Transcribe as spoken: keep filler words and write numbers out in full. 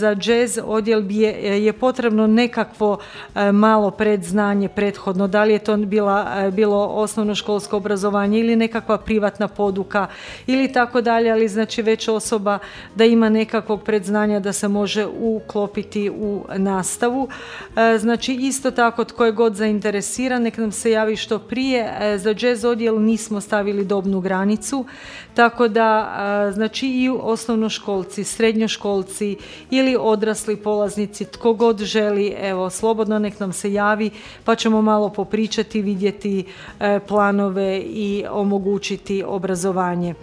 Za jazz odjel je, je potrebno nekakvo e, malo predznanje prethodno, da li je to bila, e, bilo osnovnoškolsko obrazovanje ili nekakva privatna poduka ili tako dalje, ali znači već osoba da ima nekakvog predznanja da se može uklopiti u nastavu. E, znači isto tako tko je god zainteresiran nek nam se javi što prije. E, za jazz odjel nismo stavili dobnu granicu, tako da e, znači i osnovnoškolci, srednjoškolci ili ili odrasli polaznici, tko god želi, evo, slobodno nek nam se javi, pa ćemo malo popričati, vidjeti e, planove i omogućiti obrazovanje.